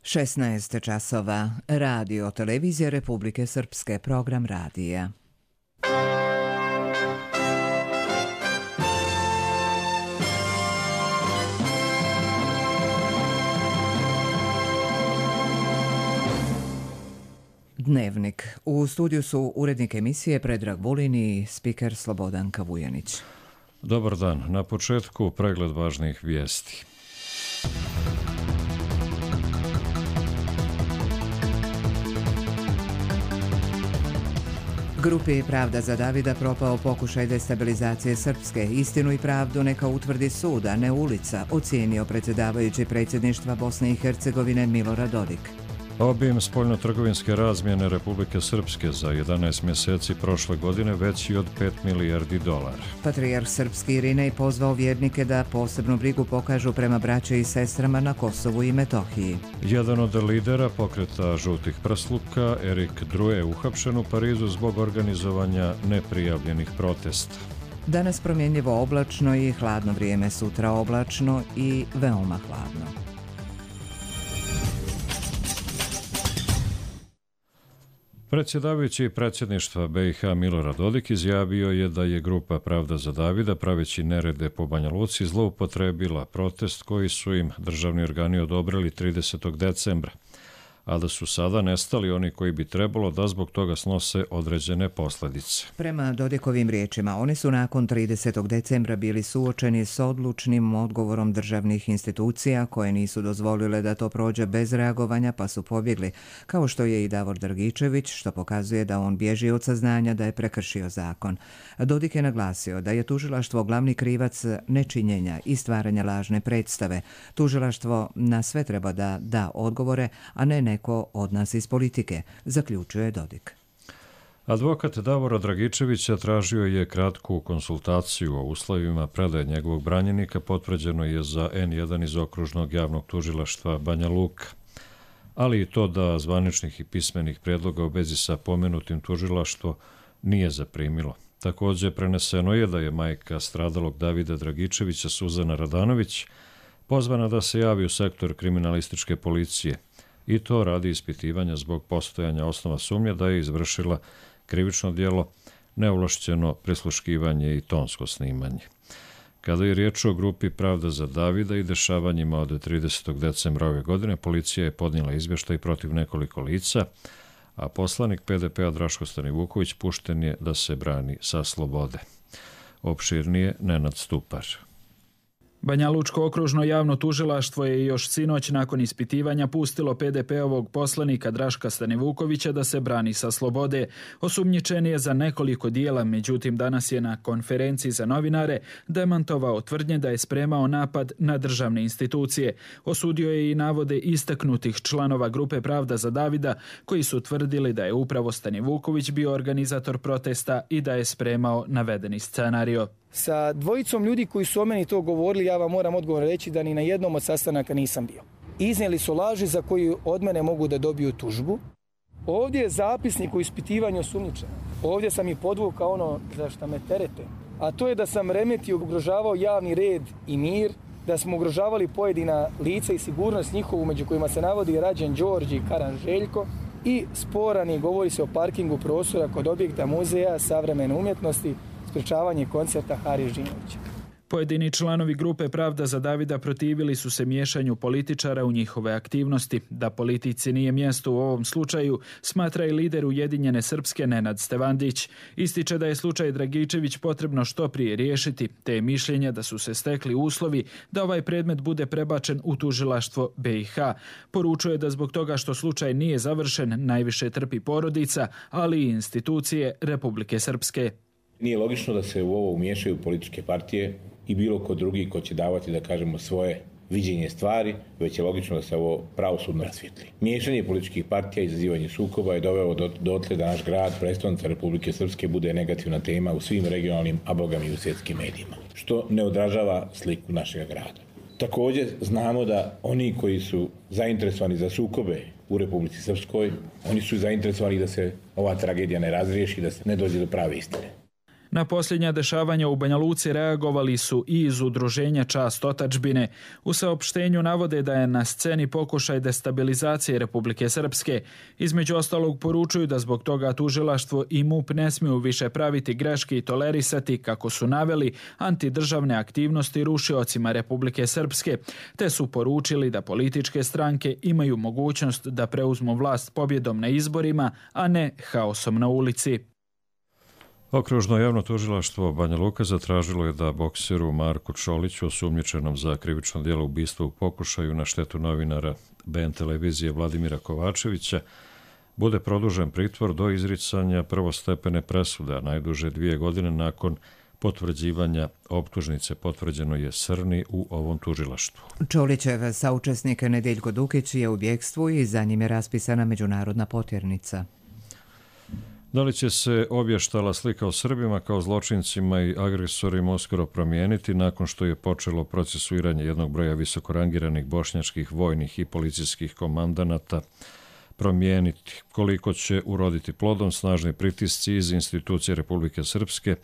16 časova. Radio Televizija Republike Srpske. Program radija. Dnevnik. U studiju su urednik emisije Predrag Vulin i spiker Slobodanka Vujanić. Dobar dan. Na početku pregled važnih vijesti. Grupi Pravda za Davida propao pokušaj destabilizacije Srpske. Istinu i pravdu neka utvrdi sud, a ne ulica, ocijenio predsjedavajući predsjedništva Bosne i Hercegovine Milorad Dodik. Obim spoljnotrgovinske razmjene Republike Srpske za 11 mjeseci prošle godine veći od 5 milijardi dolara. Patrijarh srpski Irinej pozvao vjernike da posebnu brigu pokažu prema braći i sestrama na Kosovu i Metohiji. Jedan od lidera pokreta žutih prsluka, Erik Drue, uhapšen u Parizu zbog organizovanja neprijavljenih protesta. Danas promjenjivo oblačno i hladno vrijeme, sutra oblačno i veoma hladno. Predsjedavajući predsjedništva BiH Milorad Dodik izjavio je da je grupa Pravda za Davida, praveći nerede po Banja Luci, zloupotrebila protest koji su im državni organi odobrili 30. decembra, a da su sada nestali oni koji bi trebalo da zbog toga snose određene posljedice. Prema Dodikovim riječima, oni su nakon 30. decembra bili suočeni s odlučnim odgovorom državnih institucija koje nisu dozvolile da to prođe bez reagovanja, pa su pobjegli, kao što je i Davor Dragičević, što pokazuje da on bježi od saznanja da je prekršio zakon. Dodik je naglasio da je tužilaštvo glavni krivac nečinjenja i stvaranja lažne predstave. Tužilaštvo na sve treba da da odgovore, a ne neko od nas iz politike, zaključuje Dodik. Advokat Davora Dragičevića tražio je kratku konsultaciju o uslovima predaje njegovog branjenika, potvrđeno je za N1 iz okružnog javnog tužilaštva Banja Luka, ali i to da zvaničnih i pismenih prijedloga u vezi sa pomenutim tužilaštvo nije zaprimilo. Također preneseno je da je majka stradalog Davida Dragičevića, Suzana Radanović, pozvana da se javi u sektor kriminalističke policije, i to radi ispitivanja zbog postojanja osnova sumnje da je izvršila krivično djelo, neovlašćeno prisluškivanje i tonsko snimanje. Kada je riječ o grupi Pravda za Davida i dešavanjima od 30. decembra ove godine, policija je podnijela izvještaj protiv nekoliko lica, a poslanik PDP-a Draško Stanivuković pušten je da se brani sa slobode. Opširnije Nenad Stupar. Banja Lučko okružno javno tužilaštvo je još sinoć nakon ispitivanja pustilo PDP-ovog poslanika Draška Stanivukovića da se brani sa slobode. Osumnjičen je za nekoliko dijela, međutim danas je na konferenciji za novinare demantovao tvrdnje da je spremao napad na državne institucije. Osudio je i navode istaknutih članova grupe Pravda za Davida koji su tvrdili da je upravo Stanivuković bio organizator protesta i da je spremao navedeni scenario. Sa dvojicom ljudi koji su o meni to govorili, ja vam moram odgovor reći da ni na jednom od sastanaka nisam bio. Iznijeli su laži za koju od mene mogu da dobiju tužbu. Ovdje je zapisnik o ispitivanju osumnjičenog. Ovdje sam i podvukao ono za šta me terete, a to je da sam remetio, ugrožavao javni red i mir, da smo ugrožavali pojedina lica i sigurnost njihovu, među kojima se navodi Rađen Đorđe i Karan Željko, i sporan je, govori se o parkingu prostora kod objekta muzeja savremene umjetnosti, sprečavanje koncerta Hari Žinovića. Pojedini članovi grupe Pravda za Davida protivili su se miješanju političara u njihove aktivnosti. Da politici nije mjesto u ovom slučaju, smatra i lider Ujedinjene Srpske Nenad Stevandić. Ističe da je slučaj Dragičević potrebno što prije riješiti, te je mišljenja da su se stekli uslovi da ovaj predmet bude prebačen u tužilaštvo BiH. Poručuje da zbog toga što slučaj nije završen, najviše trpi porodica, ali i institucije Republike Srpske. Nije logično da se u ovo umiješaju političke partije i bilo ko drugi ko će davati, da kažemo, svoje viđenje stvari, već je logično da se ovo pravosudno rasvijetli. Miješanje političkih partija i izazivanje sukoba je doveo dotle da naš grad, prestonica Republike Srpske, bude negativna tema u svim regionalnim, a bogami i u svjetskim medijima, što ne odražava sliku našeg grada. Također znamo da oni koji su zainteresovani za sukobe u Republici Srpskoj, oni su zainteresovani da se ova tragedija ne razriješi, da se ne dođe do prave istine. Na posljednja dešavanja u Banja Luci reagovali su i iz udruženja Čast otadžbine. U saopštenju navode da je na sceni pokušaj destabilizacije Republike Srpske. Između ostalog poručuju da zbog toga tužilaštvo i MUP ne smiju više praviti greške i tolerisati, kako su naveli, antidržavne aktivnosti rušiocima Republike Srpske, te su poručili da političke stranke imaju mogućnost da preuzmu vlast pobjedom na izborima, a ne haosom na ulici. Okružno javno tužilaštvo Banja Luka zatražilo je da bokseru Marku Čoliću, osumnjičenom za krivično djelo ubistva u pokušaju na štetu novinara BN televizije Vladimira Kovačevića, bude produžen pritvor do izricanja prvostepene presude, a najduže 2 godine nakon potvrđivanja optužnice. Potvrđeno je Srni u ovom tužilaštvu. Čolićev saučesnik Nedeljko Dukić je u bjegstvu i za njim je raspisana međunarodna potjernica. Da li će se obještala slika o Srbima kao zločincima i agresorima uskoro promijeniti nakon što je počelo procesuiranje jednog broja visokorangiranih bošnjačkih vojnih i policijskih komandanata promijeniti? Koliko će uroditi plodom snažni pritisci iz institucije Republike Srpske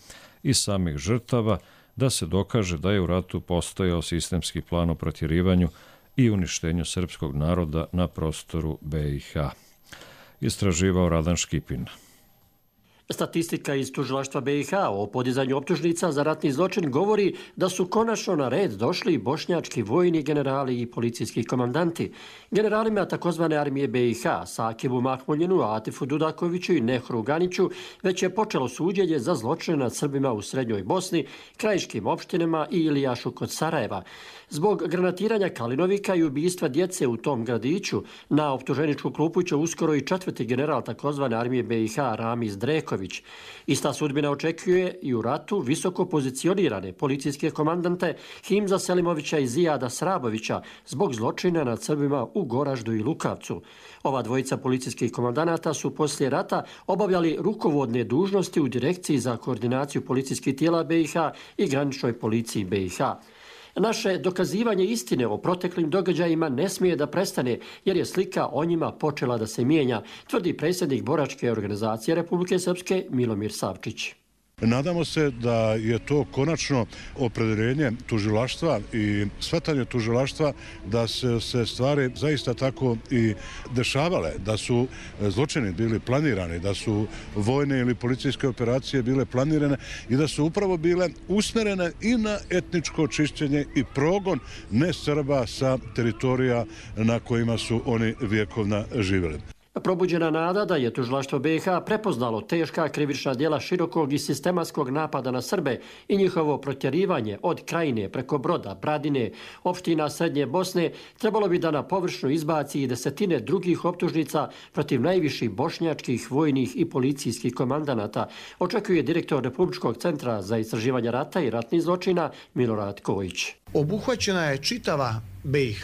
i samih žrtava da se dokaže da je u ratu postojao sistemski plan o protjerivanju i uništenju srpskog naroda na prostoru BiH? Istraživao Radan Škipin. Statistika iz tužilaštva BiH o podizanju optužnica za ratni zločin govori da su konačno na red došli bošnjački vojni generali i policijski komandanti. Generalima takozvane armije BiH, Sakibu Mahmuljinu, Atifu Dudakoviću i Nehru Ganiću, već je počelo suđenje za zločine nad Srbima u Srednjoj Bosni, krajiškim opštinama i Ilijašu kod Sarajeva. Zbog granatiranja Kalinovika i ubistva djece u tom gradiću, na optuženičku klupu će uskoro i 4. general takozvane armije BiH Ramiz Dreković. Ista sudbina očekuje i u ratu visoko pozicionirane policijske komandante Himza Selimovića i Zijada Srabovića zbog zločina nad Srbima u Goraždu i Lukavcu. Ova dvojica policijskih komandanata su poslije rata obavljali rukovodne dužnosti u Direkciji za koordinaciju policijskih tijela BiH i graničnoj policiji BiH. Naše dokazivanje istine o proteklim događajima ne smije da prestane, jer je slika o njima počela da se mijenja, tvrdi predsjednik boračke organizacije Republike Srpske Milomir Savčić. Nadamo se da je to konačno opredjeljenje tužilaštva i shvatanje tužilaštva da se stvari zaista tako i dešavale, da su zločini bili planirani, da su vojne ili policijske operacije bile planirane i da su upravo bile usmjerene i na etničko čišćenje i progon ne Srba sa teritorija na kojima su oni vjekovna živjeli. Probuđena nada da je tužilaštvo BiH prepoznalo teška krivična djela širokog i sistematskog napada na Srbe i njihovo protjerivanje od Krajine preko Broda, Bradine, opština Srednje Bosne, trebalo bi da na površnu izbaci i desetine drugih optužnica protiv najviših bošnjačkih, vojnih i policijskih komandanata, očekuje direktor Republičkog centra za istraživanje rata i ratnih zločina Milorad Kojić. Obuhvaćena je čitava BiH,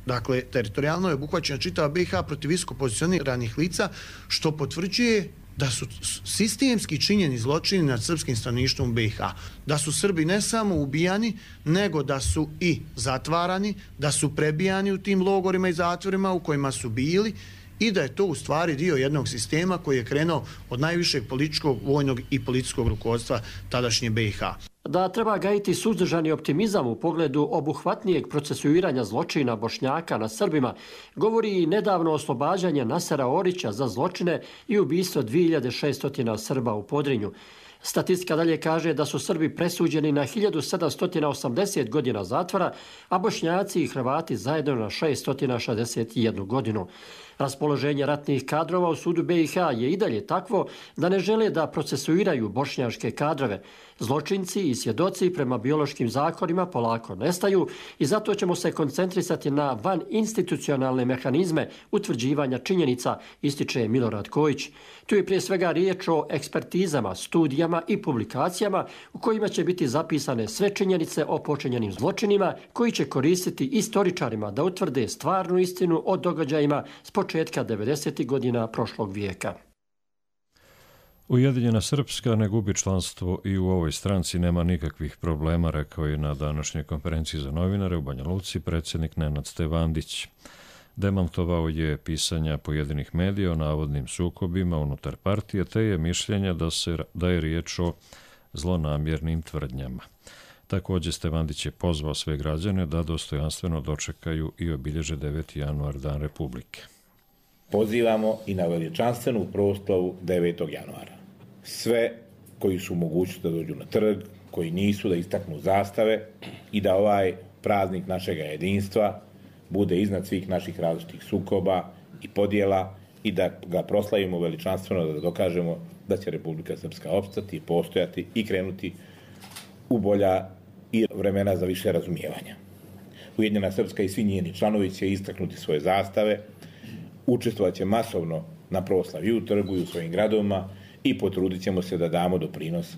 dakle, teritorijalno je obuhvaćena čitava BiH protiv visoko pozicioniranih lica, što potvrđuje da su sistemski činjeni zločini nad srpskim stanovništvom BiH. Da su Srbi ne samo ubijani, nego da su i zatvarani, da su prebijani u tim logorima i zatvorima u kojima su bili i da je to u stvari dio jednog sistema koji je krenuo od najvišeg političkog, vojnog i policijskog rukovodstva tadašnje BiH. Da treba gajiti suzdržani optimizam u pogledu obuhvatnijeg procesuiranja zločina Bošnjaka na Srbima, govori i nedavno oslobađanje Nasera Orića za zločine i ubistvo 2600 Srba u Podrinju. Statistika dalje kaže da su Srbi presuđeni na 1780 godina zatvora, a Bošnjaci i Hrvati zajedno na 661 godinu. Raspoloženje ratnih kadrova u sudu BiH je i dalje takvo da ne žele da procesuiraju bošnjaške kadrove. Zločinci i svjedoci prema biološkim zakonima polako nestaju i zato ćemo se koncentrisati na vaninstitucionalne mehanizme utvrđivanja činjenica, ističe Milorad Kojić. Tu je prije svega riječ o ekspertizama, studijama i publikacijama u kojima će biti zapisane sve činjenice o počinjenim zločinima koji će koristiti istoričarima da utvrde stvarnu istinu o događajima s početka 90. godina prošlog vijeka. Ujedinjena Srpska ne gubi članstvo i u ovoj stranci nema nikakvih problema, rekao je na današnjoj konferenciji za novinare u Banja Luci predsjednik Nenad Stevandić. Demantovao je pisanja pojedinih medija o navodnim sukobima unutar partije, te je mišljenja da je riječ o zlonamjernim tvrdnjama. Također Stevandić je pozvao sve građane da dostojanstveno dočekaju i obilježe 9. januar, Dan Republike. Pozivamo i na veličanstvenu proslavu 9. januara. Sve koji su mogućnosti da dođu na trg, koji nisu, da istaknu zastave i da ovaj praznik našega jedinstva bude iznad svih naših različitih sukoba i podjela i da ga proslavimo veličanstveno, da dokažemo da će Republika Srpska opstati, postojati i krenuti u bolja i vremena za više razumijevanja. Ujedinjena Srpska i svi njeni članovi će istaknuti svoje zastave, učestvovat će masovno na proslavi u trgu i u svojim gradovima i potrudit ćemo se da damo doprinos,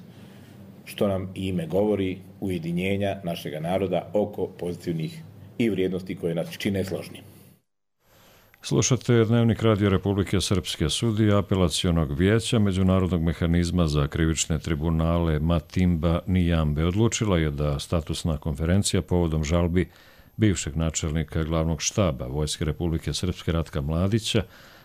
što nam i ime govori, ujedinjenja našega naroda oko pozitivnih i vrijednosti koje nas čine složnim. Slušate Dnevnik Radio Republike Srpske. Sudija apelacionog vijeća Međunarodnog mehanizma za krivične tribunale Matimba Nijambe odlučila je da statusna konferencija povodom žalbi bivšeg načelnika glavnog štaba Vojske Republike Srpske Ratka Mladića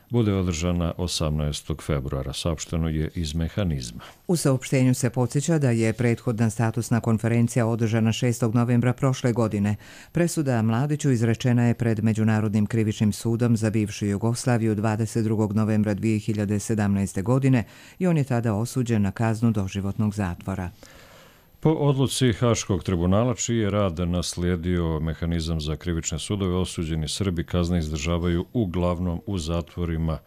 bude održana 18. februara, saopšteno je iz mehanizma. U saopštenju se podsjeća da je prethodna statusna konferencija održana 6. novembra prošle godine. Presuda Mladiću izrečena je pred Međunarodnim krivičnim sudom za bivšu Jugoslaviju 22. novembra 2017. godine i on je tada osuđen na kaznu doživotnog zatvora. Po odluci Haškog tribunala, čiji je rad naslijedio mehanizam za krivične sudove, osuđeni Srbi kazne izdržavaju uglavnom u zatvorima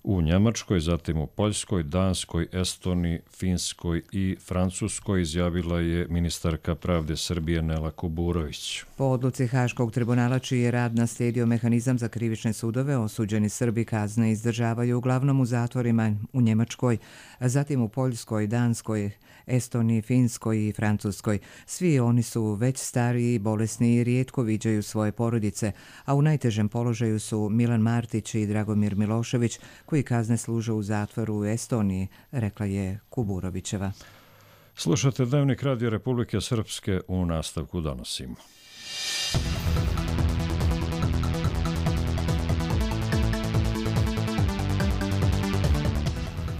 u Njemačkoj, zatim u Poljskoj, Danskoj, Estoniji, Finskoj i Francuskoj, izjavila je ministarka pravde Srbije Nela Kuburović. Po odluci Haškog tribunala, čiji je rad naslijedio mehanizam za krivične sudove, osuđeni Srbi kazne izdržavaju uglavnom u zatvorima u Njemačkoj, zatim u Poljskoj, Danskoj, Estoniji, Finskoj i Francuskoj. Svi oni su već stariji, bolesni i rijetko viđaju svoje porodice, a u najtežem položaju su Milan Martić i Dragomir Milošević, koji kazne služe u zatvoru u Estoniji, rekla je Kuburovićeva. Slušate Dnevnik Radio Republike Srpske, u nastavku donosimo.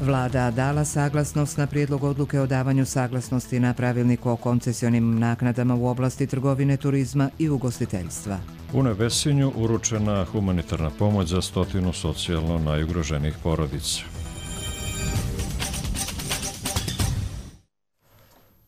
Vlada dala saglasnost na prijedlog odluke o davanju saglasnosti na pravilnik o koncesionim naknadama u oblasti trgovine, turizma i ugostiteljstva. U Nevesinju uručena humanitarna pomoć za 100 socijalno najugroženijih porodica.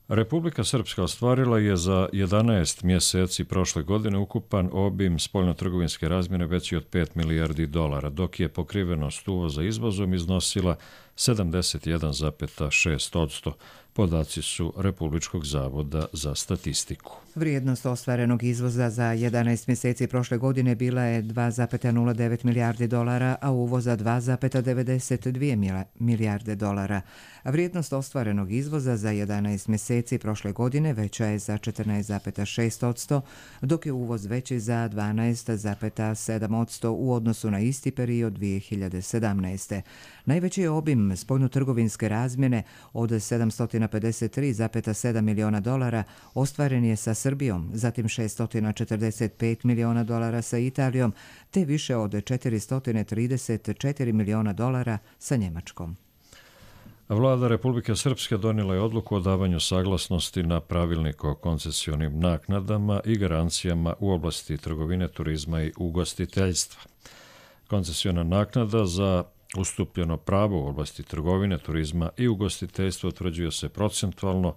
Republika Srpska ostvarila je za 11 mjeseci prošle godine ukupan obim spoljnotrgovinske razmjene veći od 5 milijardi dolara, dok je pokrivenost uvoza izvozom iznosila 71,6%. Podaci su Republičkog zavoda za statistiku. Vrijednost ostvarenog izvoza za 11 mjeseci prošle godine bila je 2,09 milijardi dolara, a uvoza 2,92 milijarde dolara. Vrijednost ostvarenog izvoza za 11 mjeseci prošle godine veća je za 14,6%, dok je uvoz veći za 12,7% u odnosu na isti period 2017. Najveći je obim spoljnotrgovinske razmjene od 753,7 miliona dolara ostvaren je sa Srbijom, zatim 645 miliona dolara sa Italijom, te više od 434 miliona dolara sa Njemačkom. Vlada Republike Srpske donijela je odluku o davanju saglasnosti na pravilnik o koncesionim naknadama i garancijama u oblasti trgovine, turizma i ugostiteljstva. Koncesiona naknada za ustupljeno pravo u oblasti trgovine, turizma i ugostiteljstva utvrđuje se procentualno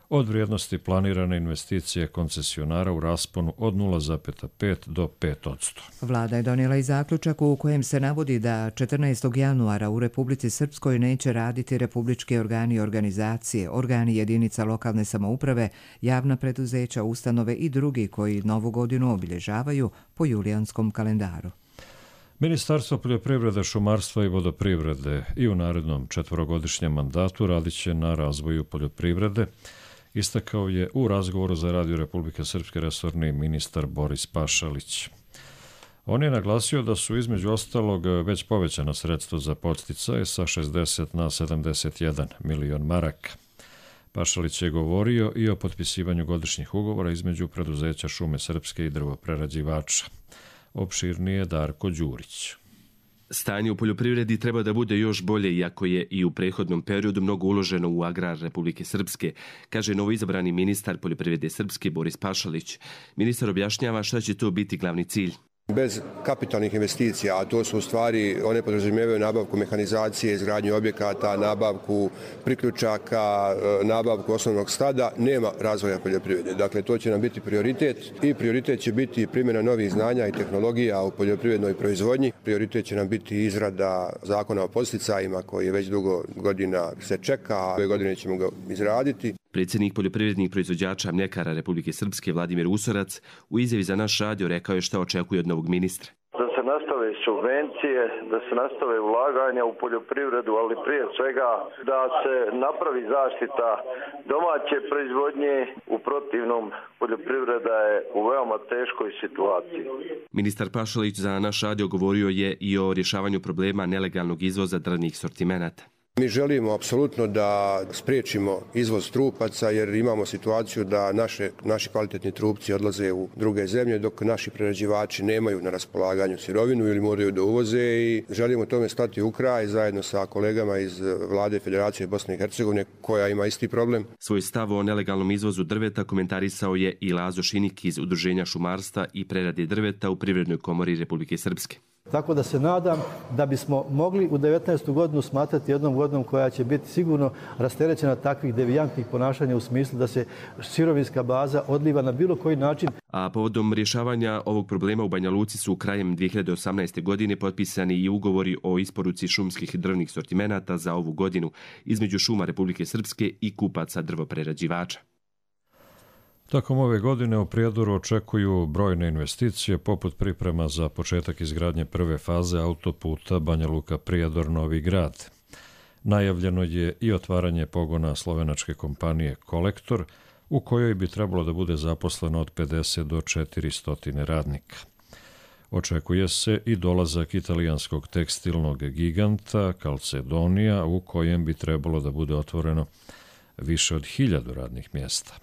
od vrijednosti planirane investicije koncesionara u rasponu od 0,5 do 5%. Vlada je donijela i zaključak u kojem se navodi da 14. januara u Republici Srpskoj neće raditi republički organi i organizacije, organi jedinica lokalne samouprave, javna preduzeća, ustanove i drugi koji novu godinu obilježavaju po julijanskom kalendaru. Ministarstvo poljoprivrede, šumarstva i vodoprivrede i u narednom 4-godišnjem mandatu radit će na razvoju poljoprivrede, istakao je u razgovoru za Radio Republike Srpske resorni ministar Boris Pašalić. On je naglasio da su između ostalog već povećana sredstva za podsticaje sa 60 na 71 milion maraka. Pašalić je govorio i o potpisivanju godišnjih ugovora između preduzeća Šume Srpske i drvoprerađivača. Opširnije Darko Đurić. Stanje u poljoprivredi treba da bude još bolje, iako je i u prethodnom periodu mnogo uloženo u agrar Republike Srpske, kaže novoizabrani ministar poljoprivrede Srpske Boris Pašalić. Ministar objašnjava šta će to biti glavni cilj. Bez kapitalnih investicija, a to su u stvari, one podrazumijevaju nabavku mehanizacije, izgradnju objekata, nabavku priključaka, nabavku osnovnog stada, nema razvoja poljoprivrede. Dakle, to će nam biti prioritet i prioritet će biti primjena novih znanja i tehnologija u poljoprivrednoj proizvodnji. Prioritet će nam biti izrada zakona o podsticajima koji već dugo godina se čeka, a ove godine ćemo ga izraditi. Predsjednik poljoprivrednih proizvođača mljekara Republike Srpske Vladimir Usorac u izjavi za naš radio rekao je šta očekuje od novog ministra. Da se nastave subvencije, da se nastave ulaganja u poljoprivredu, ali prije svega da se napravi zaštita domaće proizvodnje. U protivnom, poljoprivreda je u veoma teškoj situaciji. Ministar Pašalić za naš radio govorio je i o rješavanju problema nelegalnog izvoza drvnih sortimenata. Mi želimo apsolutno da spriječimo izvoz trupaca jer imamo situaciju da naši kvalitetni trupci odlaze u druge zemlje dok naši prerađivači nemaju na raspolaganju sirovinu ili moraju da uvoze i želimo tome stati u kraj zajedno sa kolegama iz Vlade Federacije Bosne i Hercegovine koja ima isti problem. Svoj stav o nelegalnom izvozu drveta komentarisao je i Lazo Šinik iz Udruženja šumarstva i prerade drveta u Privrednoj komori Republike Srpske. Tako da se nadam da bismo mogli u 19. godinu smatrati jednom godinom koja će biti sigurno rasterećena takvih devijantnih ponašanja u smislu da se sirovinska baza odliva na bilo koji način. A povodom rješavanja ovog problema u Banja Luci su krajem 2018. godine potpisani i ugovori o isporuci šumskih drvnih sortimenata za ovu godinu između Šuma Republike Srpske i kupaca drvoprerađivača. Tokom ove godine u Prijedoru očekuju brojne investicije poput priprema za početak izgradnje prve faze autoputa Banja Luka-Prijedor Novi Grad. Najavljeno je i otvaranje pogona slovenačke kompanije Kolektor, u kojoj bi trebalo da bude zaposleno od 50 do 400 radnika. Očekuje se i dolazak italijanskog tekstilnog giganta Calzedonia, u kojem bi trebalo da bude otvoreno više od 1000 radnih mjesta.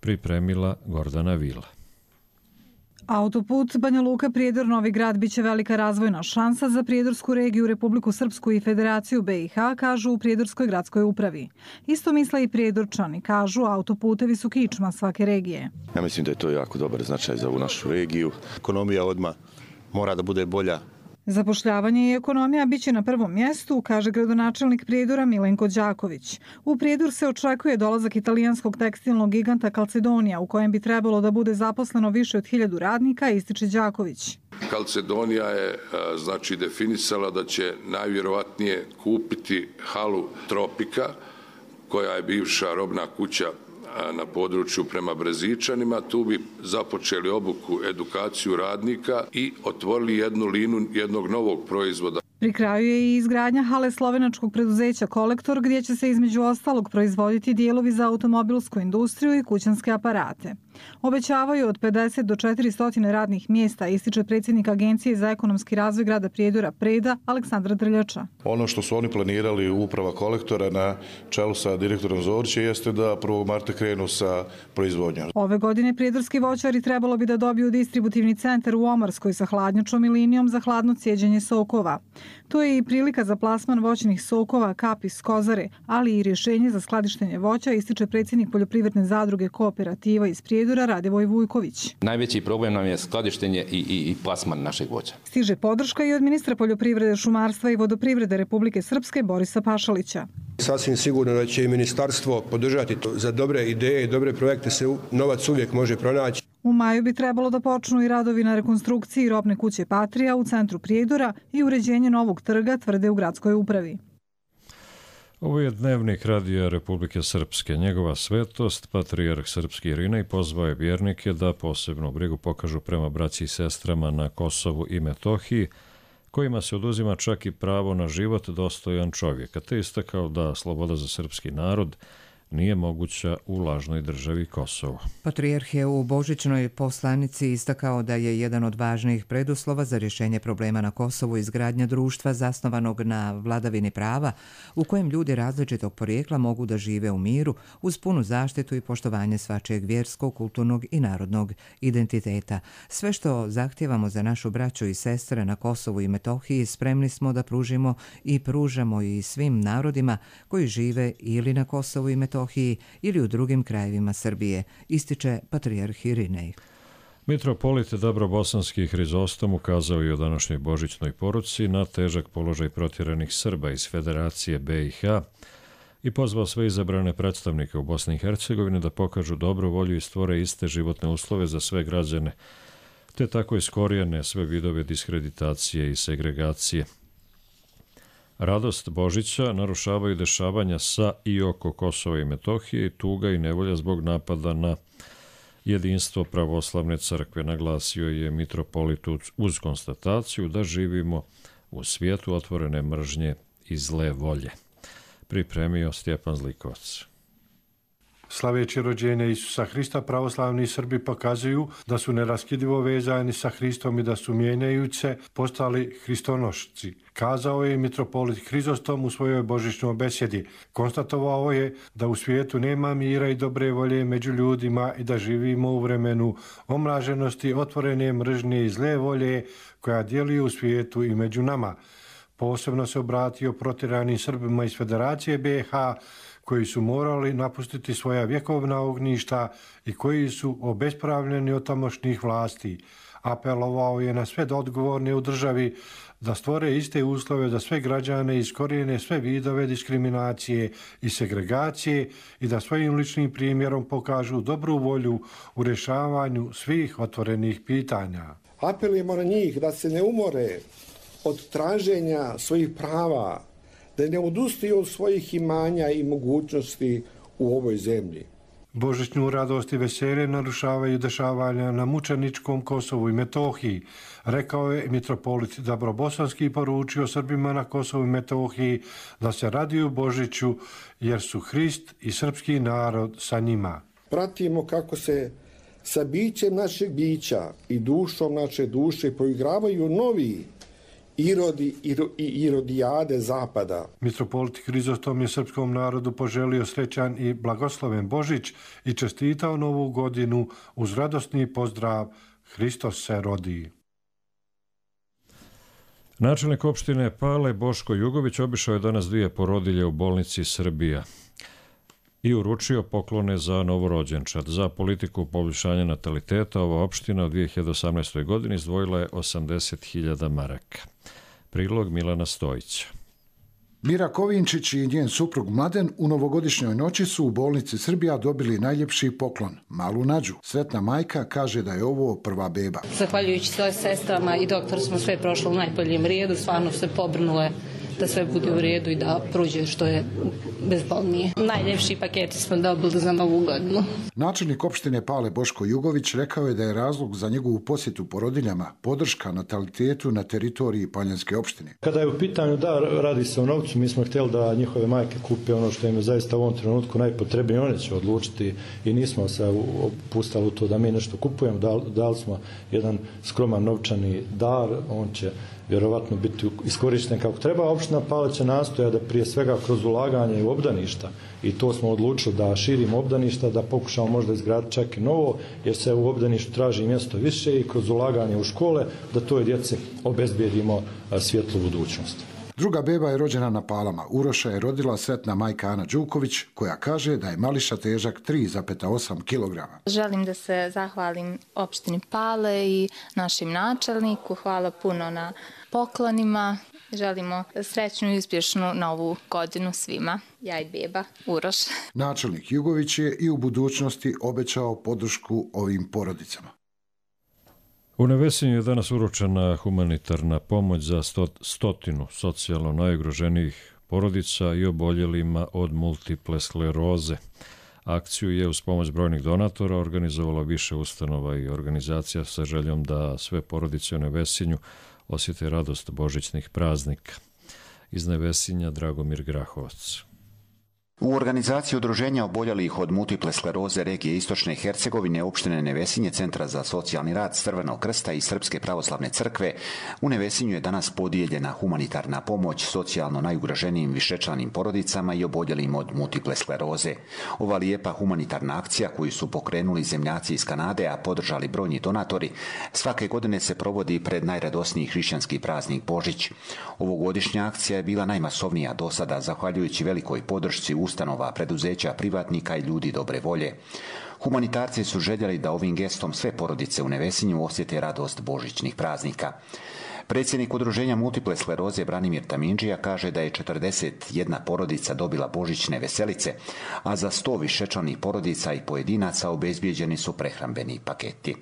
Pripremila Gordana Vila. Autoput Banja Luka-Prijedor Novi Grad biće velika razvojna šansa za Prijedorsku regiju, Republiku Srpsku i Federaciju BiH, kažu u Prijedorskoj gradskoj upravi. Isto misle i Prijedorčani, kažu autoputevi su kičma svake regije. Ja mislim da je to jako dobar značaj za ovu našu regiju. Ekonomija odmah mora da bude bolja. Zapošljavanje i ekonomija biće na prvom mjestu, kaže gradonačelnik Prijedora Milenko Đaković. U Prijedor se očekuje dolazak italijanskog tekstilnog giganta Calzedonia, u kojem bi trebalo da bude zaposleno više od 1000 radnika, ističe Đaković. Calzedonia je definisala da će najvjerovatnije kupiti halu Tropika, koja je bivša robna kuća na području prema Brezičanima. Tu bi započeli obuku, edukaciju radnika i otvorili jednu liniju jednog novog proizvoda. Pri kraju je i izgradnja hale slovenačkog preduzeća Kolektor, gdje će se između ostalog proizvoditi dijelovi za automobilsku industriju i kućanske aparate. Obećavaju od 50 do 400 radnih mjesta, ističe predsjednik Agencije za ekonomski razvoj grada Prijedora Preda Aleksandra Drljača. Ono što su oni planirali u uprava Kolektora na čelu sa direktorom Zoriće jeste da 1. marta krenu sa proizvodnjom. Ove godine prijedorski voćari trebalo bi da dobiju distributivni centar u Omarskoj sa hladnjačom i linijom za hladno cijeđenje sokova. To je i prilika za plasman voćnih sokova Kap iz Kozare, ali i rješenje za skladištenje voća, ističe predsjednik poljoprivredne zadruge Kooperativa iz Prijedora Radivoj Vujković. Najveći problem nam je skladištenje i plasman našeg voća. Stiže podrška i od ministra poljoprivrede, šumarstva i vodoprivrede Republike Srpske Borisa Pašalića. Sasvim sigurno da će i ministarstvo podržati to. Za dobre ideje i dobre projekte se novac uvijek može pronaći. U maju bi trebalo da počnu i radovi na rekonstrukciji robne kuće Patrija u centru Prijedora i uređenje novog trga, tvrde u gradskoj upravi. Ovo je dnevnik Radija Republike Srpske. Njegova svetost, patrijarh srpski Irinej, pozvao je vjernike da posebnu brigu pokažu prema braći i sestrama na Kosovu i Metohiji, kojima se oduzima čak i pravo na život dostojan čovjeka, te istakao da sloboda za srpski narod nije moguća u lažnoj državi Kosovo. Patrijarh je u božićnoj poslanici istakao da je jedan od važnijih preduslova za rješenje problema na Kosovu izgradnja društva zasnovanog na vladavini prava, u kojem ljudi različitog porijekla mogu da žive u miru uz punu zaštitu i poštovanje svačijeg vjerskog, kulturnog i narodnog identiteta. Sve što zahtijevamo za našu braću i sestre na Kosovu i Metohiji spremni smo da pružimo i pružamo i svim narodima koji žive ili na Kosovu i Metohiji ili u drugim krajevima Srbije, ističe patrijarh Irinej. Mitropolit Dabrobosanski Hrizostom ukazao je u današnjoj božićnoj poruci na težak položaj protjeranih Srba iz Federacije BiH i pozvao sve izabrane predstavnike u Bosni i Hercegovini da pokažu dobru volju i stvore iste životne uslove za sve građane, te tako iskorijene sve vidove diskreditacije i segregacije. Radost Božića narušavaju dešavanja sa i oko Kosova i Metohije i tuga i nevolja zbog napada na jedinstvo pravoslavne crkve, naglasio je mitropolit uz konstataciju da živimo u svijetu otvorene mržnje i zle volje. Pripremio Stjepan Zlikovac. Slaveći rođenje Isusa Hrista, pravoslavni Srbi pokazuju da su neraskidivo vezani sa Hristom i da su mijenjajući se postali hristonošci. Kazao je mitropolit Hrizostom u svojoj božićnoj besjedi. Konstatovao je da u svijetu nema mira i dobre volje među ljudima i da živimo u vremenu omraženosti, otvorene mržnje i zle volje koja djeluje u svijetu i među nama. Posebno se obratio protjeranim Srbima iz Federacije BiH koji su morali napustiti svoja vjekovna ognjišta i koji su obespravljeni od tamošnjih vlasti. Apelovao je na sve odgovorne u državi da stvore iste uslove za sve građane i iskorijene sve vidove diskriminacije i segregacije i da svojim ličnim primjerom pokažu dobru volju u rješavanju svih otvorenih pitanja. Apelujemo na njih da se ne umore od traženja svojih prava, da ne odustaju od svojih imanja i mogućnosti u ovoj zemlji. Božićnu radost i veselje narušavaju dešavanja na mučeničkom Kosovu i Metohiji, rekao je mitropolit Dabrobosanski i poručio Srbima na Kosovu i Metohiji da se raduju Božiću jer su Hrist i srpski narod sa njima. Pratimo kako se sa bićem našeg bića i dušom naše duše poigravaju novi irodi i irodijade zapada. Mitropolit Hrizostom je srpskom narodu poželio srećan i blagosloven Božić i čestitao novu godinu uz radosni pozdrav Hristos se rodi. Načelnik opštine Pale Boško Jugović obišao je danas 2 porodilje u bolnici Srbija i uručio poklone za novorođenčad. Za politiku poboljšanja nataliteta ova opština u 2018. godini izdvojila je 80.000 maraka. Prilog Milana Stojića. Mira Kovinčić i njen suprug Mladen u novogodišnjoj noći su u bolnici Srbija dobili najljepši poklon, malu Nađu. Sretna majka kaže da je ovo prva beba. Zahvaljujući svoje sestrama i doktor smo sve prošlo u najboljem redu, stvarno se pobrnule da sve bude u redu i da prođe što je bezbolnije. Najljepši paketi smo dobili za novu godinu. Načelnik opštine Pale Boško Jugović rekao je da je razlog za njegovu posjetu porodiljama podrška natalitetu na teritoriji Paljanske opštine. Kada je u pitanju da radi se o novcu, mi smo htjeli da njihove majke kupe ono što im je zaista u ovom trenutku najpotrebnije, one će odlučiti i nismo se opustali u to da mi nešto kupujemo, dali smo jedan skroman novčani dar, on će vjerovatno biti iskorišten kako treba. Opština Pale će nastoja da prije svega kroz ulaganje u obdaništa i to smo odlučili da širimo obdaništa, da pokušamo možda izgraditi čak i novo, jer se u obdaništu traži mjesto više i kroz ulaganje u škole da toj djeci obezbijedimo svjetlu budućnost. Druga beba je rođena na Palama. Uroša je rodila sretna majka Ana Đuković, koja kaže da je mališa težak 3,8 kg. Želim da se zahvalim opštini Pale i našim načelniku. Hvala puno na poklonima. Želimo srećnu i uspješnu novu godinu svima. Ja i beba Uroš. Načelnik Jugović je i u budućnosti obećao podršku ovim porodicama. U Nevesinju je danas uručena humanitarna pomoć za 100 socijalno najugroženijih porodica i oboljelima od multiple skleroze. Akciju je uz pomoć brojnih donatora organizovala više ustanova i organizacija sa željom da sve porodice u Nevesinju osjete radost božićnih praznika. Iz Nevesinja Dragomir Grahovac. U organizaciji udruženja oboljelih od multiple skleroze regije Istočne Hercegovine, opštine Nevesinje, Centra za socijalni rad Crvenog krsta i Srpske pravoslavne crkve, u Nevesinju je danas podijeljena humanitarna pomoć socijalno najugroženijim višečlanim porodicama i oboljelim od multiple skleroze. Ova lijepa humanitarna akcija koju su pokrenuli zemljaci iz Kanade, a podržali brojni donatori, svake godine se provodi pred najradosniji hrišćanski praznik Božić. Ovogodišnja akcija je bila najmasovnija do sada, zahvaljujući velikoj podršci ustanova, preduzeća, privatnika i ljudi dobre volje. Humanitarci su željeli da ovim gestom sve porodice u Nevesinju osjete radost božićnih praznika. Predsjednik udruženja multiple skleroze Branimir Tamindžija kaže da je 41 porodica dobila božićne veselice, a za 100 višečlanih porodica i pojedinaca obezbijeđeni su prehrambeni paketi.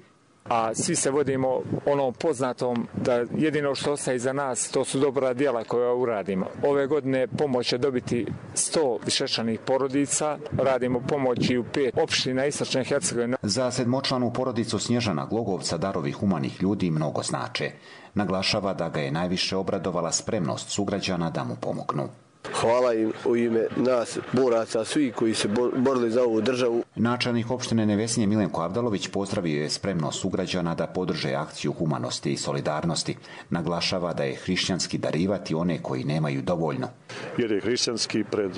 A svi se vodimo onom poznatom da jedino što ostaje iza nas to su dobra djela koja uradimo. Ove godine pomoć će dobiti 100 višečlanih porodica, radimo pomoć i u 5 opština Istočne Hercegovine. Za sedmočlanu porodicu Snježana Glogovca darovi humanih ljudi mnogo znače. Naglašava da ga je najviše obradovala spremnost sugrađana da mu pomognu. Hvala im u ime nas, boraca, svi koji se borili za ovu državu. Načelnik opštine Nevesinje Milenko Avdalović pozdravio je spremnost sugrađana da podrže akciju humanosti i solidarnosti. Naglašava da je hrišćanski darivati one koji nemaju dovoljno. Jer je hrišćanski pred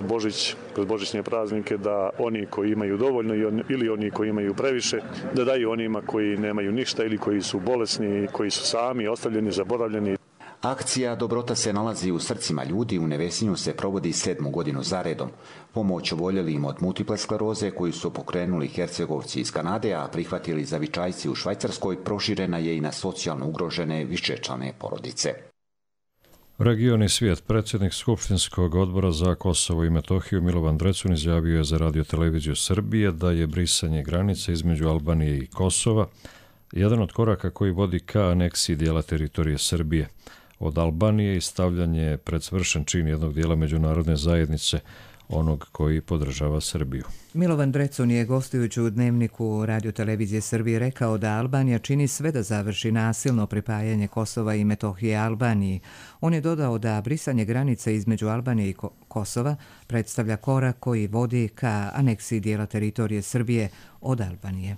božićne praznike da oni koji imaju dovoljno ili oni koji imaju previše, da daju onima koji nemaju ništa ili koji su bolesni, koji su sami, ostavljeni, zaboravljeni. Akcija Dobrota se nalazi u srcima ljudi. U Nevesinju se provodi 7. godinu zaredom. Pomoć oboljelim od multiple skleroze koju su pokrenuli Hercegovci iz Kanade, a prihvatili Zavičajci u Švajcarskoj, proširena je i na socijalno ugrožene višečlane porodice. Region i svijet. Predsjednik Skupštinskog odbora za Kosovo i Metohiju Milovan Drecun izjavio je za Radio-televiziju Srbije da je brisanje granice između Albanije i Kosova jedan od koraka koji vodi ka aneksiji dijela teritorije Srbije od Albanije i stavljanje pred svršen čin jednog dijela međunarodne zajednice, onog koji podržava Srbiju. Milovan Drecun je gostujući u Dnevniku Radio-televizije Srbije rekao da Albanija čini sve da završi nasilno pripajanje Kosova i Metohije Albaniji. On je dodao da brisanje granice između Albanije i Kosova predstavlja korak koji vodi ka aneksiji dijela teritorije Srbije od Albanije.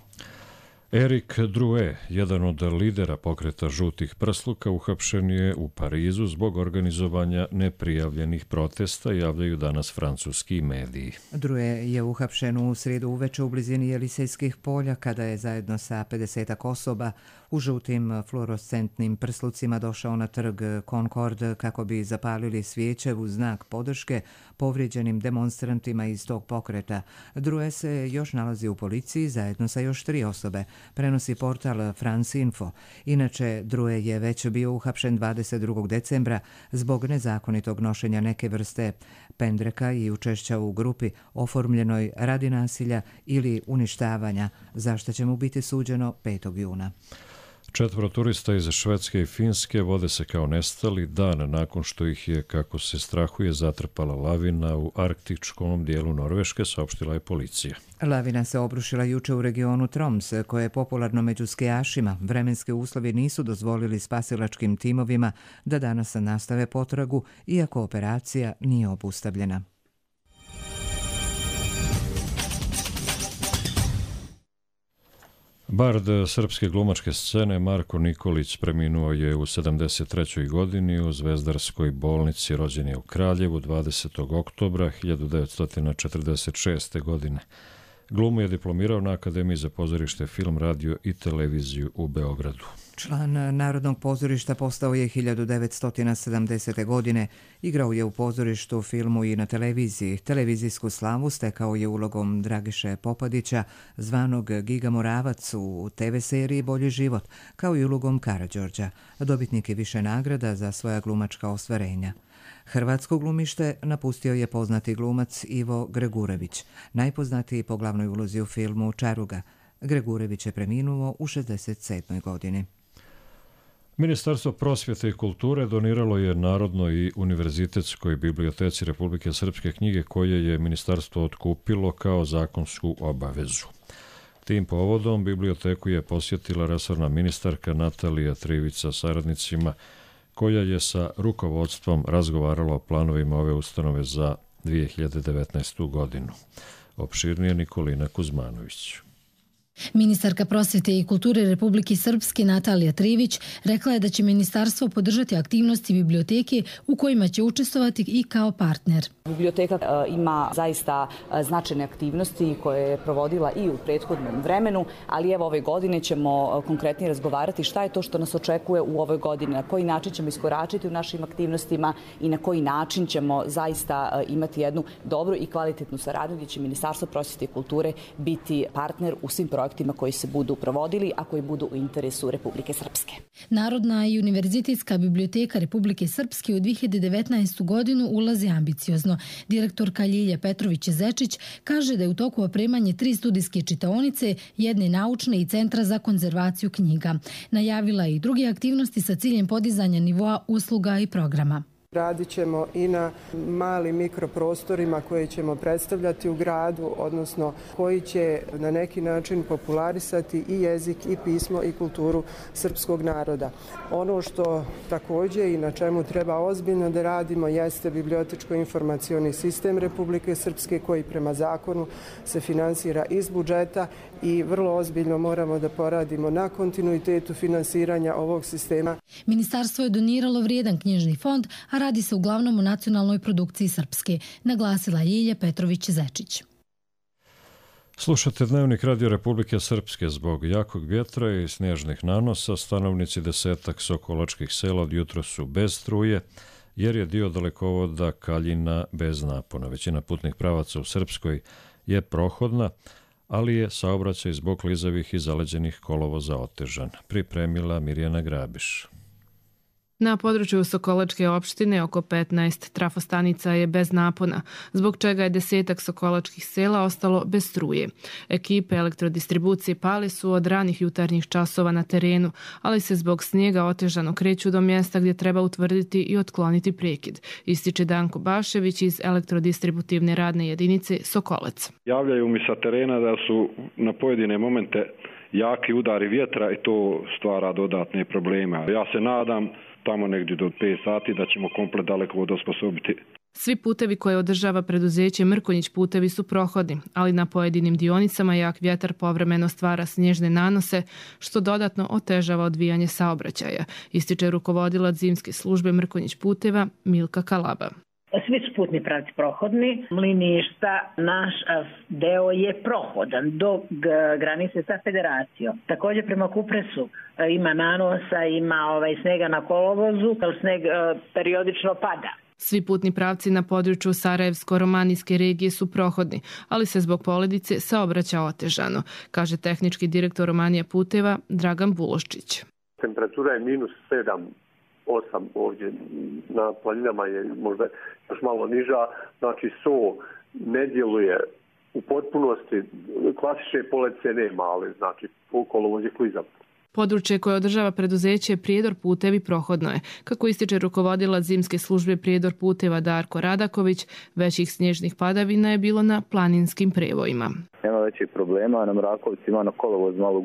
Erik Drue, jedan od lidera pokreta žutih prsluka, uhapšen je u Parizu zbog organizovanja neprijavljenih protesta, javljaju danas francuski mediji. Drue je uhapšen u srijedu uveče u blizini Jelisejskih polja kada je zajedno sa 50 osoba u žutim fluorescentnim prslucima došao na trg Concord kako bi zapalili svijeće u znak podrške povrijeđenim demonstrantima iz tog pokreta. Drue se još nalazi u policiji zajedno sa još 3 osobe, prenosi portal France Info. Inače, Drue je već bio uhapšen 22. decembra zbog nezakonitog nošenja neke vrste pendreka i učešća u grupi oformljenoj radi nasilja ili uništavanja, za što će mu biti suđeno 5. juna. 4 turista iz Švedske i Finske vode se kao nestali dan nakon što ih je, kako se strahuje, zatrpala lavina u arktičkom dijelu Norveške, saopštila je policija. Lavina se obrušila juče u regionu Troms, koje je popularno među skijašima. Vremenski uslovi nisu dozvolili spasilačkim timovima da danas nastave potragu, iako operacija nije obustavljena. Bard srpske glumačke scene Marko Nikolić preminuo je u 73. godini u Zvezdarskoj bolnici. Rođen je u Kraljevu 20. oktobra 1946. godine. Glumu je diplomirao na Akademiji za pozorište, film, radio i televiziju u Beogradu. Član Narodnog pozorišta postao je 1970. godine. Igrao je u pozorištu, filmu i na televiziji. Televizijsku slavu stekao je ulogom Dragiše Popadića, zvanog Giga Moravac u TV seriji Bolji život, kao i ulogom Karađorđa. Dobitnik je više nagrada za svoja glumačka ostvarenja. Hrvatsko glumište napustio je poznati glumac Ivo Gregurević, najpoznatiji po glavnoj ulozi u filmu Čaruga. Gregurević je preminuo u 67. godini. Ministarstvo prosvjete i kulture doniralo je Narodnoj i univerzitetskoj biblioteci Republike Srpske knjige koje je ministarstvo otkupilo kao zakonsku obavezu. Tim povodom biblioteku je posjetila resorna ministarka Natalija Trivica saradnicima, koja je sa rukovodstvom razgovarala o planovima ove ustanove za 2019. godinu. Opširnije Nikolina Kuzmanović. Ministarka prosvete i kulture Republike Srpske Natalija Trivić rekla je da će ministarstvo podržati aktivnosti biblioteke u kojima će učestvovati i kao partner. Biblioteka ima zaista značajne aktivnosti koje je provodila i u prethodnom vremenu, ali evo ove godine ćemo konkretnije razgovarati šta je to što nas očekuje u ovoj godini, na koji način ćemo iskoračiti u našim aktivnostima i na koji način ćemo zaista imati jednu dobru i kvalitetnu saradnju gdje će Ministarstvo prosvete i kulture biti partner u svim projektima koji se budu provodili, a koji budu u interesu Republike Srpske. Narodna i univerzitetska biblioteka Republike Srpske u 2019. godinu ulazi ambiciozno. Direktorka Ljilja Petrović-Zečić kaže da je u toku opremanje 3 studijske čitaonice, 1 naučne i centra za konzervaciju knjiga. Najavila je i druge aktivnosti sa ciljem podizanja nivoa usluga i programa. Radit ćemo i na malim mikroprostorima koje ćemo predstavljati u gradu, odnosno koji će na neki način popularisati i jezik i pismo i kulturu srpskog naroda. Ono što također i na čemu treba ozbiljno da radimo jeste bibliotečko-informacioni sistem Republike Srpske koji prema zakonu se finansira iz budžeta i vrlo ozbiljno moramo da poradimo na kontinuitetu finansiranja ovog sistema. Ministarstvo je doniralo vrijedan knjižni fond, a radi se uglavnom o nacionalnoj produkciji Srpske, naglasila Ljilja Petrović-Zečić. Slušate Dnevnik Radio Republike Srpske. Zbog jakog vjetra i snježnih nanosa stanovnici 10 sokolačkih sela od jutro su bez struje, jer je dio dalekovoda Kaljina bez napona. Većina putnih pravaca u Srpskoj je prohodna, ali je saobraćaj zbog klizavih i zaleđenih kolovoza otežan. Pripremila Mirjana Grabiš. Na području Sokolačke opštine oko 15 trafostanica je bez napona, zbog čega je 10 sokolačkih sela ostalo bez struje. Ekipe elektrodistribucije Pali su od ranih jutarnjih časova na terenu, ali se zbog snijega otežano kreću do mjesta gdje treba utvrditi i otkloniti prekid, ističe Danko Bašević iz elektrodistributivne radne jedinice Sokolac. Javljaju mi sa terena da su na pojedine momente jaki udari vjetra i to stvara dodatne probleme. Ja se nadam tamo negdje do 5 sati da ćemo komplet dalekovod osposobiti. Svi putevi koje održava preduzeće Mrkonjić putevi su prohodni, ali na pojedinim dionicama jak vjetar povremeno stvara snježne nanose, što dodatno otežava odvijanje saobraćaja, ističe rukovodilac zimske službe Mrkonjić puteva Milka Kalaba. Svi su putni pravci prohodni. Mliništa, naš deo je prohodan do granice sa federacijom. Također prema Kupresu ima nanosa, ima snega na kolovozu, ali sneg periodično pada. Svi putni pravci na području Sarajevsko-Romanijske regije su prohodni, ali se zbog poledice saobraća otežano, kaže tehnički direktor Romanija puteva Dragan Buloščić. Temperatura je -7. 8 ovdje na planinama je možda još malo niža, znači SO ne djeluje u potpunosti, klasične poledice nema, ali znači kolovoz je klizav. Područje koje održava preduzeće Prijedor putevi prohodno je. Kako ističe rukovodilac zimske službe Prijedor puteva Darko Radaković, većih snježnih padavina je bilo na planinskim prevojima. Nema većih problema, na Mrakovci ima na kolovoz malo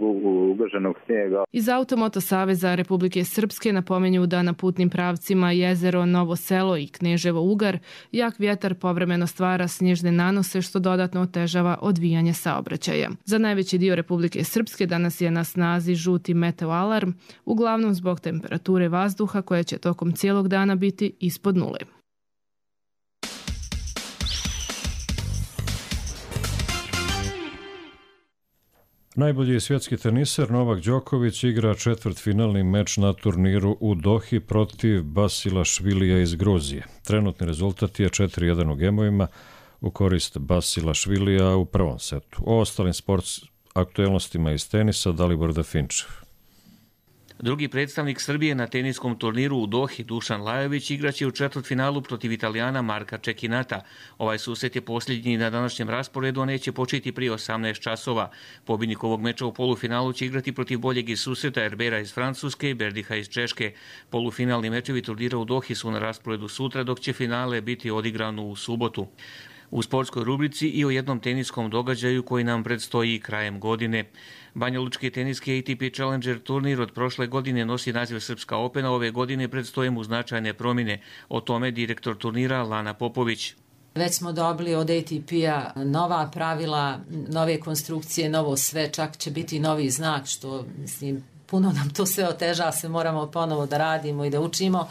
ugroženog snijega. Iz Automoto saveza Republike Srpske napominju da na putnim pravcima Jezero, Novo selo i Kneževo Ugar jak vjetar povremeno stvara snježne nanose što dodatno otežava odvijanje saobraćaja. Za najveći dio Republike Srpske danas je na snazi žuti meteoalarm, uglavnom zbog temperature vazduha koja će tokom cijelog dana biti ispod nule. Najbolji svjetski teniser Novak Đoković igra četvrtfinalni meč na turniru u Dohi protiv Basilašvilija iz Gruzije. Trenutni rezultat je 4-1 u gemovima u korist Basilašvilija u prvom setu. O ostalim aktuelnostima iz tenisa Dalibor Dafinčev. Drugi predstavnik Srbije na teniskom turniru u Dohi, Dušan Lajović, igraće u četvrtfinalu protiv Italijana Marka Čekinata. Ovaj susret je posljednji na današnjem rasporedu, a neće početi prije 18 časova. Pobjednik ovog meča u polufinalu će igrati protiv boljeg iz susreta Herbera iz Francuske i Berdiha iz Češke. Polufinalni mečevi turnira u Dohi su na rasporedu sutra, dok će finale biti odigrano u subotu. U sportskoj rubrici i o jednom teniskom događaju koji nam predstoji krajem godine. Banjalučki teniski ATP Challenger turnir od prošle godine nosi naziv Srpska Opena, ove godine predstoje mu značajne promjene. O tome direktor turnira Lana Popović. Već smo dobili od ATP-a nova pravila, nove konstrukcije, novo sve, čak će biti novi znak, što mislim, puno nam to sve oteža, se moramo ponovo da radimo i da učimo.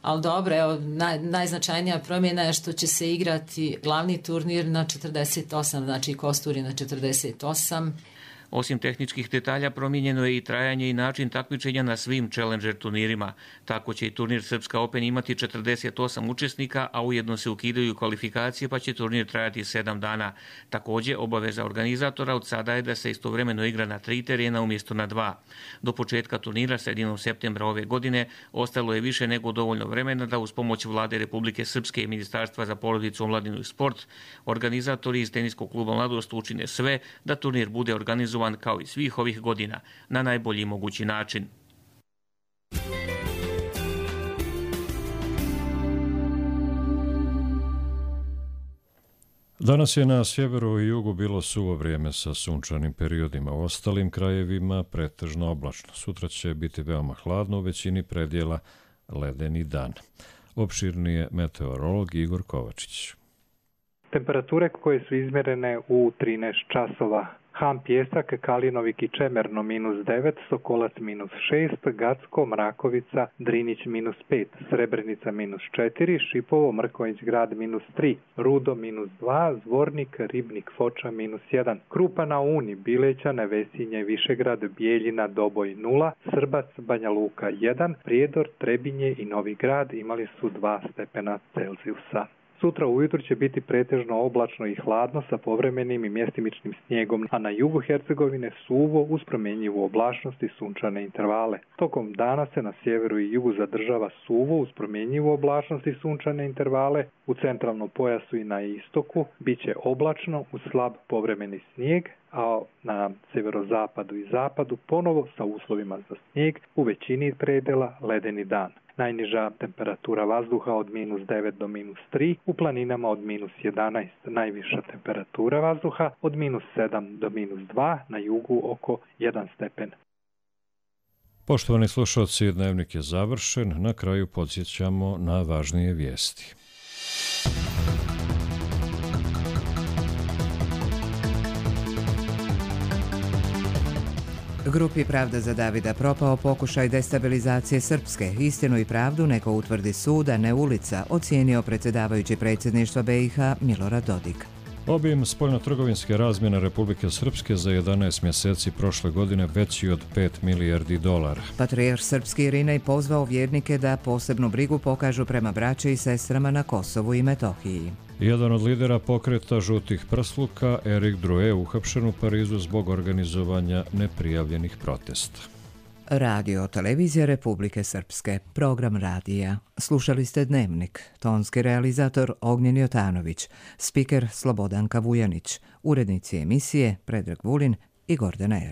Ali dobro, evo, najznačajnija promjena je što će se igrati glavni turnir na 48, znači kosturi na 48. Osim tehničkih detalja, promijenjeno je i trajanje i način takmičenja na svim Challenger turnirima. Tako će i turnir Srpska Open imati 48 učesnika, a ujedno se ukidaju kvalifikacije, pa će turnir trajati 7 dana. Također, obaveza organizatora od sada je da se istovremeno igra na 3 terena umjesto na 2. Do početka turnira sredinom septembra ove godine ostalo je više nego dovoljno vremena da uz pomoć Vlade Republike Srpske i Ministarstva za porodicu, omladinu i sport, organizatori iz teniskog kluba Mladost učine sve da turnir bude organizovan kao i svih ovih godina na najbolji mogući način. Danas je na sjeveru i jugu bilo suvo vrijeme sa sunčanim periodima. U ostalim krajevima pretežno oblačno. Sutra će biti veoma hladno, u većini predjela ledeni dan. Opširni je meteorolog Igor Kovačić. Temperature koje su izmjerene u 13 časova. Han Pjesak, Kalinovik i Čemerno -9, Sokolac -6, Gacko, Mrakovica, Drinić -5, Srebrenica -4, Šipovo, Mrkonjić grad -3, Rudo -2, Zvornik, Ribnik, Foča -1, Krupa na Uni, Bileća, Nevesinje, Višegrad, Bijeljina, Doboj 0, Srbac, Banja Luka 1, Prijedor, Trebinje i Novi Grad imali su 2 stepena Celzijusa. Sutra ujutro će biti pretežno oblačno i hladno sa povremenim i mjestimičnim snijegom, a na jugu Hercegovine suvo uz promjenjivu oblačnost i sunčane intervale. Tokom dana se na sjeveru i jugu zadržava suvo uz promjenjivu oblačnost i sunčane intervale, u centralnom pojasu i na istoku bit će oblačno uz slab povremeni snijeg, a na sjeverozapadu i zapadu ponovo sa uslovima za snijeg, u većini predjela ledeni dan. Najniža temperatura vazduha od -9 do -3, u planinama od -11, najviša temperatura vazduha od -7 do -2, na jugu oko 1 stepen. Poštovani slušalci, dnevnik je završen. Na kraju podsjećamo na važnije vijesti. Grupi Pravda za Davida propao pokušaj destabilizacije Srpske. Istinu i pravdu neko utvrdi sud, a ne ulica, ocijenio predsjedavajući predsjedništva BiH Milorad Dodik. Obim spoljnotrgovinske razmjene Republike Srpske za 11 mjeseci prošle godine veći od 5 milijardi dolara. Patrijarh srpski Irinej pozvao vjernike da posebnu brigu pokažu prema braći i sestrama na Kosovu i Metohiji. Jedan od lidera pokreta žutih prsluka, Erik Drue, uhapšen u Parizu zbog organizovanja neprijavljenih protesta. Radio televizija Republike Srpske, program radija. Slušali ste Dnevnik, tonski realizator Ognjen Jotanović, spiker Slobodanka Vujanić, urednici emisije Predrag Vulin i Gordana Era.